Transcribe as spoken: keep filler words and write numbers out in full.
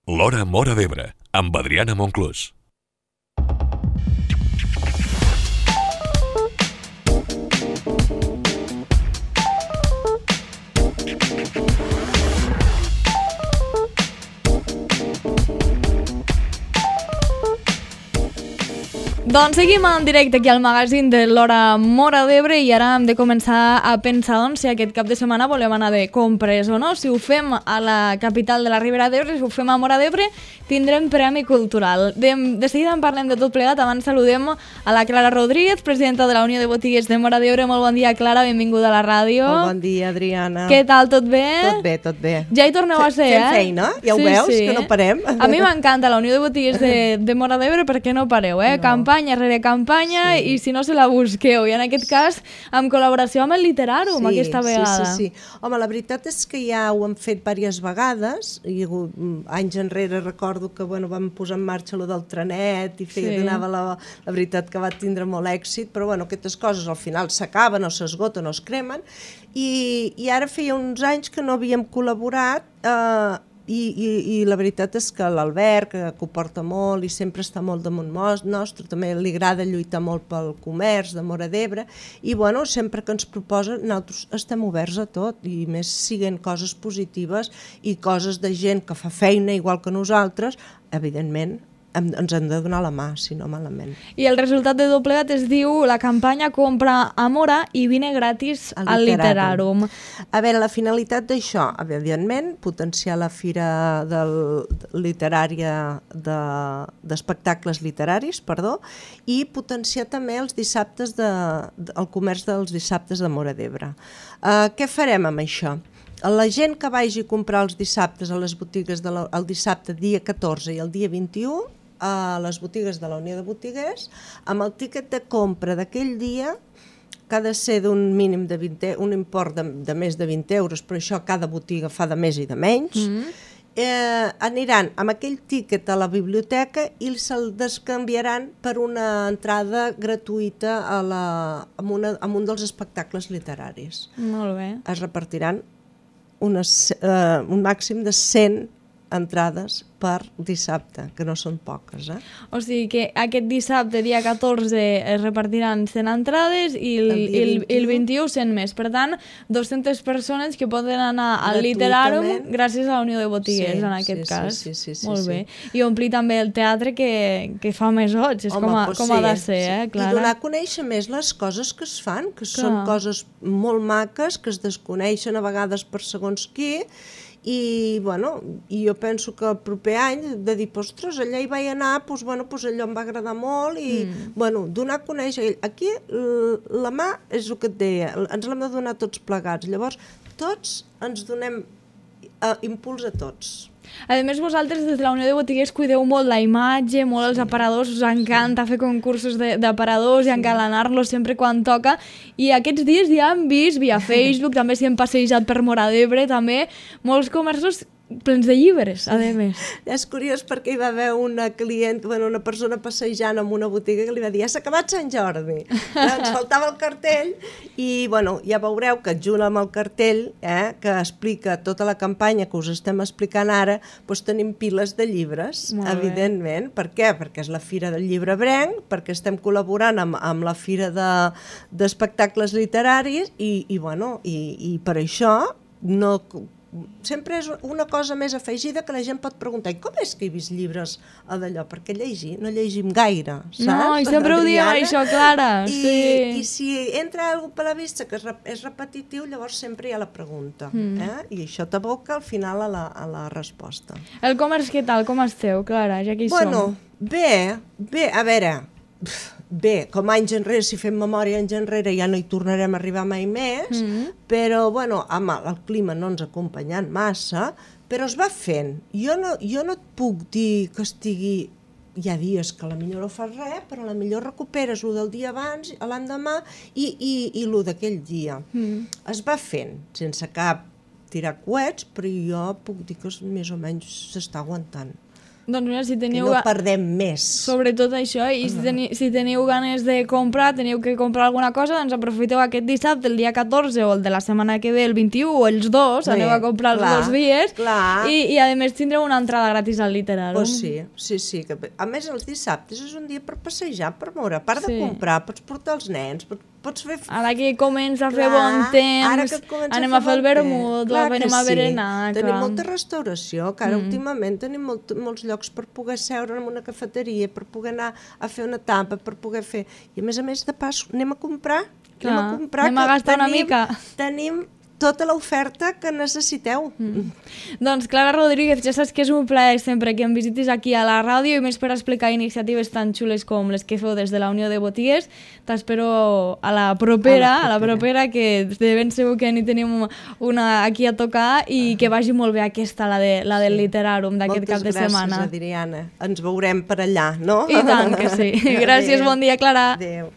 L'Hora Móra d'Ebre, amb Adriana Monclús. Doncs seguim en directe aquí al magazín de l'Hora Móra d'Ebre i ara hem de començar a pensar doncs, si aquest cap de setmana volem anar de compres o no. Si ho fem a la capital de la Ribera d'Ebre, si ho fem a Móra d'Ebre, tindrem Premi Cultural. De, de seguida en parlem de tot plegat. Abans saludem a la Clara Rodríguez, presidenta de la Unió de Botiguers de Móra d'Ebre. Molt bon dia, Clara, benvinguda a la ràdio. Molt bon dia, Adriana. Què tal, tot bé? Tot bé, tot bé. Ja hi torneu a ser, Fem eh? feina, ja ho sí, veus, sí. que no parem. A mi m'encanta la Unió de Botiguers de, de Móra d'Ebre perquè no pareu, eh? No. Campanya rere campanya, sí. I si no se la busqueu. I en aquest cas, en col·laboració amb el Literàrum, sí, aquesta vegada. Sí, sí, sí. Home, la veritat és que ja ho hem fet diverses vegades, i anys enrere recordo que bueno, vam posar en marxa lo del trenet i feia, sí. donava la, la veritat que va tindre molt èxit, però bueno, aquestes coses al final s'acaben o s'esgoten o es cremen, i, i ara feia uns anys que no havíem col·laborat, eh, I, i, i la veritat és que l'Albert, que, que ho porta molt i sempre està molt damunt nostre, també li agrada lluitar molt pel comerç de Móra d'Ebre, i bueno, sempre que ens proposa, nosaltres estem oberts a tot, i més siguen coses positives i coses de gent que fa feina igual que nosaltres, evidentment hem, ens hem de donar la mà, si no malament. I el resultat de Doblegat es diu la campanya Compra a Móra i vine gratis al, al Literàrum. A veure, la finalitat d'això, evidentment, potenciar la fira del, literària de, d'espectacles literaris, perdó, i potenciar també els dissabtes de, de, el comerç dels dissabtes de Móra d'Ebre. Uh, què farem amb això? La gent que vagi a comprar els dissabtes a les botigues de la, el dissabte dia catorze i el dia vint-i-u a les botigues de la Unió de Botiguers, amb el tíquet de compra d'aquell dia, que ha de ser d'un mínim de vint, un import de, de més de vint euros, però això cada botiga fa de més i de menys, mm-hmm. eh, aniran amb aquell tíquet a la biblioteca i se'l descanviaran per una entrada gratuïta a la, amb, una, amb un dels espectacles literaris. Molt bé. Es repartiran unes, eh, un màxim de cent entrades per dissabte, que no són poques, eh? O sigui que aquest dissabte, dia catorze, es repartiran cent entrades i el, el, el, el vint-i-u cent més. Per tant, dues-centes persones que poden anar al Literàrum gràcies a la Unió de Botiguers, sí, en aquest sí, cas. Sí, sí, sí, Molt sí. bé. I omplir també el teatre que, que fa més goig, és Home, com, a, pues com sí, ha de ser, sí. eh, Clara? I donar a conèixer més les coses que es fan, que Clar. són coses molt maques, que es desconeixen a vegades per segons qui, i, bueno, i jo penso que el proper any de dir, ostres, allà hi vaig anar, doncs, bueno, doncs allò em va agradar molt i, mm. bueno, donar a conèixer. Aquí la mà és el que et deia, ens l'hem de donar tots plegats. Llavors, tots ens donem uh, impuls a tots. A més, vosaltres des de la Unió de Botiguers cuideu molt la imatge, molt els aparadors, us encanta fer concursos d'aparadors i encalanar-los sempre quan toca, i aquests dies ja hem vist via Facebook, també si hem passejat per Móra d'Ebre, també molts comerços plens de llibres, a més. És curiós perquè hi va haver una client, bueno, una persona passejant en una botiga que li va dir, ja s'ha acabat Sant Jordi. Ens faltava el cartell i, bueno, ja veureu que junt amb el cartell, eh, que explica tota la campanya que us estem explicant ara, doncs tenim piles de llibres, evidentment. Per què? Perquè és la Fira del Llibre Ebrenc, perquè estem col·laborant amb, amb la Fira de, d'Espectacles Literaris i, i, bueno, i, i per això no... sempre és una cosa més afegida que la gent pot preguntar, i com és que he vist llibres a d'allò? Perquè llegir, no llegim gaire, saps? No, i sempre ho diem això, Clara. I, sí. I si entra algú per la vista que és, és repetitiu, llavors sempre hi ha la pregunta. Mm. Eh? I això t'aboca al final a la, a la resposta. El comerç, què tal? Com esteu, Clara? Ja que hi bueno, som. Bé, bé, a veure... Bé, com anys enrere, si fem memòria anys enrere ja no hi tornarem a arribar mai més, mm-hmm. però bueno, home, el clima no ens ha acompanyat massa, però es va fent. Jo no, jo no et puc dir que estigui... Hi ha dies que a la millor no fas res, però a la millor recuperes el del dia abans, l'endemà i, i, i el d'aquell dia. Mm. Es va fent, sense cap tirar coets, però jo puc dir que més o menys s'està aguantant. Doncs mira, si que teniu... no ga- perdem més. Sobretot això, i si, teni si teniu ganes de comprar, teniu que comprar alguna cosa, doncs aprofiteu aquest dissabte, el dia catorze, o el de la setmana que ve, el vint-i-u, o els dos, Bé, aneu a comprar els clar, dos dies, clar. i, i a més tindreu una entrada gratis al Literàrum. Pues sí, sí, sí. Que... A més, els dissabtes és un dia per passejar, per moure. A part Sí. de comprar, pots portar els nens, pots, pots fer... Ara que comença a fer Clar, bon ara temps, que comença anem a fer el bon temps. vermut, Clar anem que a sí. berenar. Tenim clar. molta restauració, que ara mm. últimament tenim molt, molts llocs per poder seure en una cafeteria, per poder anar a fer una tapa, per poder fer... I a més a més, de pas, anem a comprar. Clar, anem a comprar. anem a que gastar una tenim, mica. Tenim tota l'oferta que necessiteu. Mm. Doncs Clara Rodríguez, ja saps que és un plaer sempre que em visitis aquí a la ràdio i més per explicar iniciatives tan xules com les que feu des de la Unió de Botigues. T'espero a la propera, a la propera, que de ben segur que n'hi tenim una aquí a tocar i que vagi molt bé aquesta, la, de, la del Literàrum d'aquest cap de setmana. Moltes gràcies, Adriana. Ens veurem per allà, no? I tant que sí. Gràcies, bon dia, Clara. Adéu.